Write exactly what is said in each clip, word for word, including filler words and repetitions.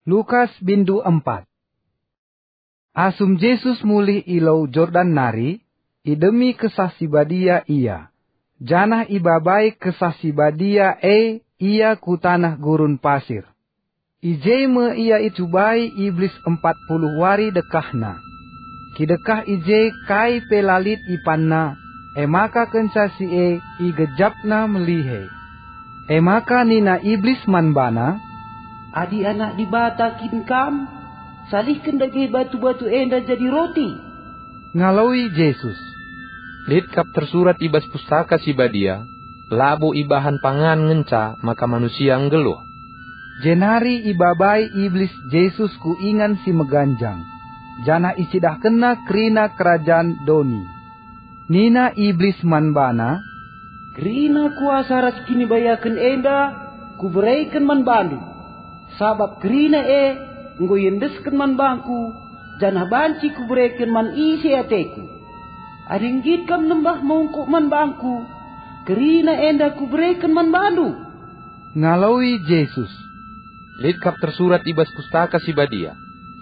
Lukas bindu empat. Asum Jesus mulih i Lau Jordan nari, idemi Kesah Si Badia ia, janah ibabai Kesah Si Badia e ia ku taneh gurun pasir. I je me ia icubai Iblis empat puluh wari dekahna. Kidekah i je kai pe la lit ipanna, e maka kenca si e igejapna melihe. E maka nina Iblis man bana, "Adi Anak Dibata kin Kam, salihken dage batu-batu enda jadi roti." Ngaloi Jesus, "Lit kap tersurat i bas Pustaka Si Badia, 'Labo ibahan pangan ngenca maka manusia nggeluh.'" Jenari ibabai Iblis Jesus ku ingan si meganjang, janah icidahkenna kerina kerajan doni. Nina Iblis man bana, "Kerina kuasa ras kinibayaken enda kubereken man bandu, sabap kerina e enggo iendesken man bangku, janah banci kubereken man ise ateku. Adi nggit kam nembah mungkuk man bangku, kerina enda kubereken man bandu." Ngaloi Jesus, "Lit kap tersurat i bas Pustaka Si Badia,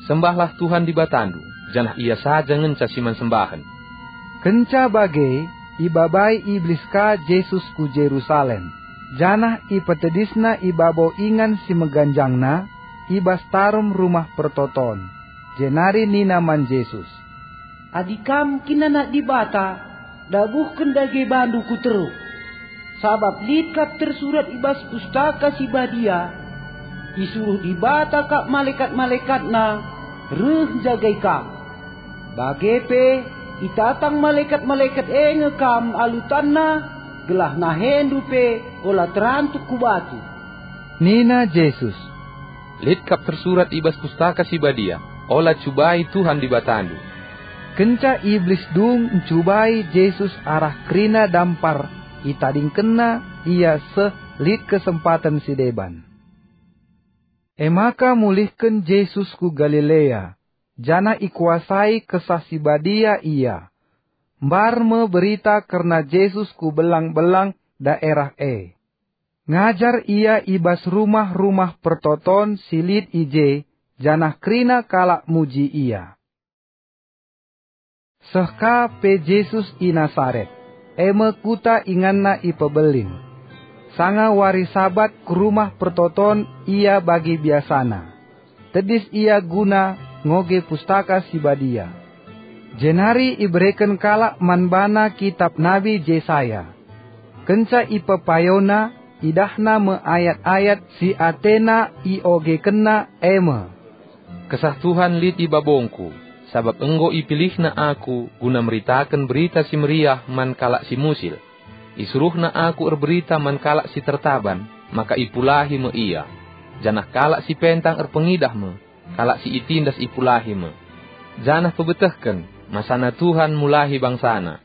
'Sembahlah Tuhan Dibatandu, janah Ia saja ngenca si man sembahen.'" Kenca bage, ibabai Iblis ka Jesus ku Jerusalem, janah ipetedisna i babo ingan si meganjangna, i bas tarum Rumah Pertoton, jenari nina man Jesus, "Adi Kam kin Anak Dibata, dabuhken dage bandu ku teruh. Sabap lit kap tersurat i bas Pustaka Si Badia, 'Isuruh Dibata kap malekat-malekatNa reh njagai Kam.' Bage pe, itatang malekat-malekat e nge Kam alu tanna, gelah nahendu pe ola terantuk ku batu." Nina Jesus, "Lit kap tersurat i bas Pustaka Si Badia, 'Ola cubai Tuhan Dibatandu.'" Kenca Iblis dung ncubai Jesus arah kerina dampar, itadingkenna ia seh lit kesempaten si deban. E maka mulihken Jesus ku Galilea, janah ikuasai Kesah Si Badia ia. Mbar me berita kerna Jesus ku belang-belang daerah e. Ngajar ia i bas rumah-rumah pertoton si lit i je, janah kerina kalak muji ia. Seh ka pe Jesus i Nasaret, e me kuta inganna ipebelin. Sanga wari Sabat ku rumah pertoton ia bagi biasana. Tedis ia guna ngoge Pustaka Si Badia. Jenari ibereken kalak man bana kitap Nabi Jesaya. Kenca ipepayona, idahna me ayat-ayat si atena iogekenna, e me, "Kesah Tuhan lit i babongku, sabap enggo ipilihNa aku guna meritaken Berita Si Meriah man kalak si musil. IsuruhNa aku erberita man kalak si tertaban, maka ipulahi me ia. Janah kalak si pentang erpengidah me, kalak si itindas ipulahi me. Janah pebetehken, masana Tuhan mulahi bangsaNa."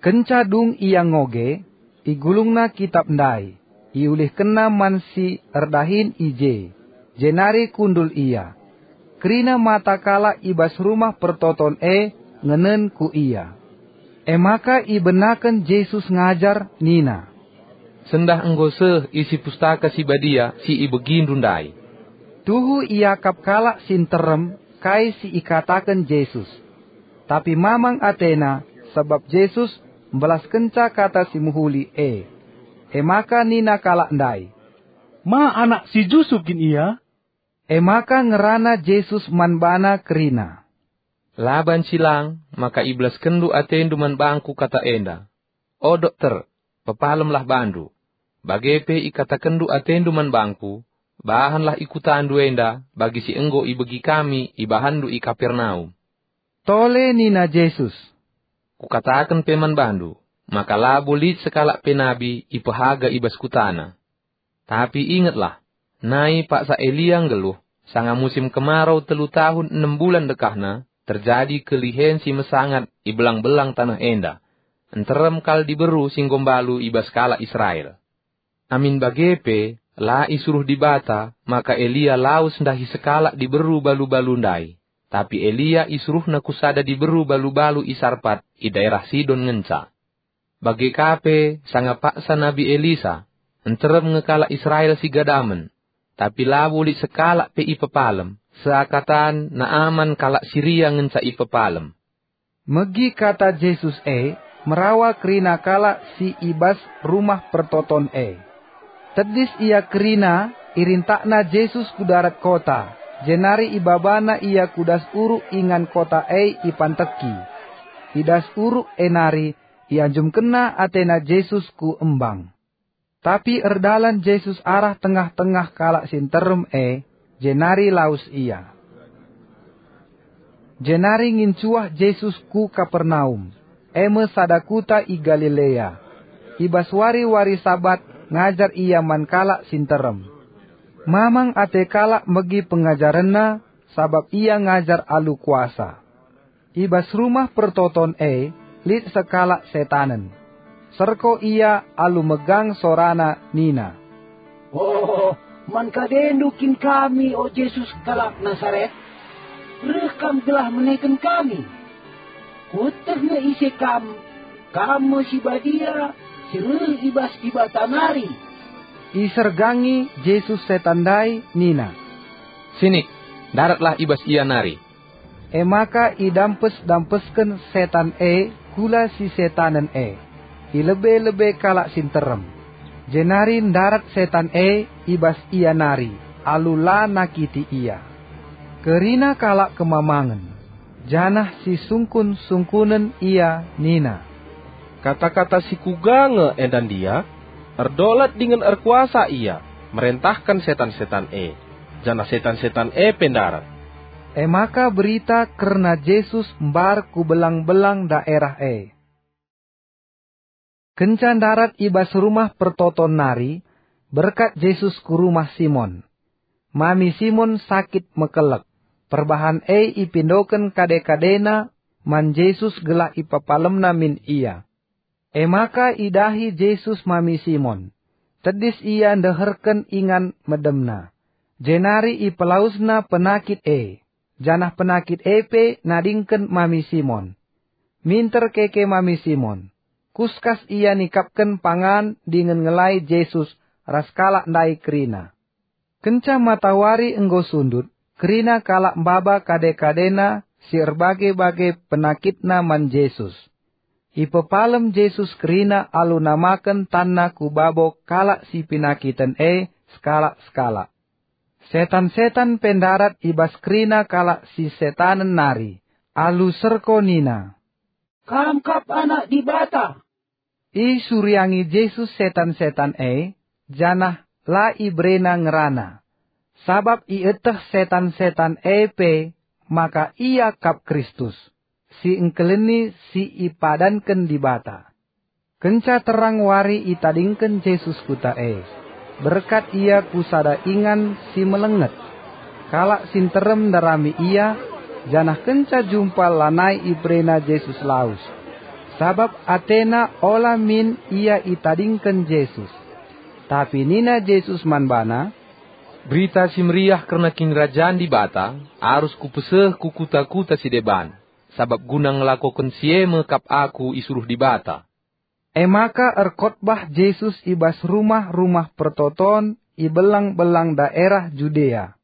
Kenca dung ia ngoge, igulungna kitap ndai, iulihkenna man si erdahin i je, jenari kundul ia. Kerina mata kalak i bas rumah pertoton e ngenen ku ia. E maka ibenaken Jesus ngajar nina, "Sendah enggo seh isi Pustaka Si Badia si ibegindu ndai." Tuhu iakap kalak si nterem kai si ikataken Jesus. Tapi mamang atena, sabap Jesus mbelaskenca kata si mehuli e. E maka nina kalak ndai, "Ma anak si Jusup kin ia?" E maka ngerana Jesus man bana kerina, "La banci lang maka ibelaskenndu atendu man bangku kata enda. O dokter, pepalemlah bandu. Bage pe ikatakenndu atendu man bangku, bahanlah i kutandu enda bagi si enggo ibegi kami ibahanndu i Kapernaum." Tole nina Jesus, "Kukataken pe man bandu, maka labo lit sekalak pe nabi ipehaga i bas kutana. Tapi ingetlah, nai paksa Elia nggeluh, sanga musim kemarau telu tahun enem bulan dekahna, terjadi kelihen si mesangat i belang-belang taneh enda. Nterem kal diberu si enggo mbalu i bas kalak Israel. Amin bage pe, la isuruh Dibata maka Elia lawes ndahi sekalak diberu balu-balu ndai, tapi Elia isuruhna ku sada diberu balu-balu i Sarpat i daerah Sidon ngenca. Bage ka pe sanga paksa Nabi Elisa, nterem nge kalak Israel si gadamen. tapi labo lit sekalak pe ipepalem, seakatan Naaman kalak Siria ngenca ipepalem." Megi kata Jesus e, merawa kerina kalak si i bas Rumah Pertoton e. Tedis ia kerina, irintakna Jesus ku darat kota, jenari ibabana ia ku das uruk ingan kota e ipanteki. I das uruk e nari ianjumkenna atena Jesus ku embang. Tapi erdalan Jesus arah tengah-tengah kalak si nterem e, jenari lawes ia. Jenari ngincuah Jesus ku Kapernaum, e me sada kuta i Galilea. I bas wari-wari Sabat ngajar ia man kalak si nterem. Mamang ate kalak megi pengajarenna, sabap ia ngajar alu kuasa. I bas Rumah Pertoton e lit sekalak setanen. Serko ia alu megang sorana nina, "Oh, man kadendu kin kami, o Jesus kalak Nasaret? Reh kam gelah meneken kami. Kueteh nge ise kam, kam me si badia, si reh i bas Dibata nari." Isergangi Jesus setan ndai nina, "Sinik, ndaratlah i bas ia nari." E maka idampes-dampesken setan e kula si setanen e, i lebe-lebe kalak si nterem. Jenari ndarat setan e i bas ia nari, alu la nakiti ia. Kerina kalak kemamangen, janah sisungkun-sungkunen ia nina, "Kata-kata si kuga nge enda ndia? Erdolat dingen erkuasa ia, merentahken setan-setan e, janah setan-setan e pe ndarat." E maka berita kerna Jesus mbar ku belang-belang daerah e. Kenca ndarat i bas Rumah Pertoton nari, berkat Jesus ku rumah Simon. Mami Simon sakit mekelek. Perbahan e ipindoken kade-kadena man Jesus gelah ipepalemna min ia. E maka idahi Jesus mami Simon. Tedis ia ndeherken ingan medemna, jenari ipelawesna penakit e, janah penakit e pe nadingken mami Simon. Minter keke mami Simon. Kuskas ia nikapken pangan dingen ngelai Jesus ras kalak ndai kerina. Kenca matawari enggo sundut, kerina kalak maba kade-kadena si erbage-bage penakitna man Jesus. Ipepalem Jesus kerina alu namaken tanna ku babo kalak si penakiten e sekalak-sekalak. Setan-setan pe ndarat i bas kerina kalak si setanen nari, alu serko nina, "Kam kap Anak Dibata." Isuriangi Jesus setan-setan e, janah la iberena ngerana, sabap ieteh setan-setan e pe maka Ia kap Kristus, si engkeleni si ipadanken Dibata. Kenca terang wari itadingken Jesus kuta e. Berkat ia ku sada ingan si melenget. Kalak si nterem ndarami ia, janah kenca jumpa lanai iberena Jesus lawes, sabap atena ola min ia itadingken Jesus. Tapi nina Jesus man bana, "Berita Si Meriah kerna Kinirajan Dibata arus kupeseh ku kuta-kuta si deban, sabap guna ngelakoken si e me kap Aku isuruh Dibata." E maka erkotbah Jesus i bas rumah-rumah pertoton i belang-belang daerah Judea.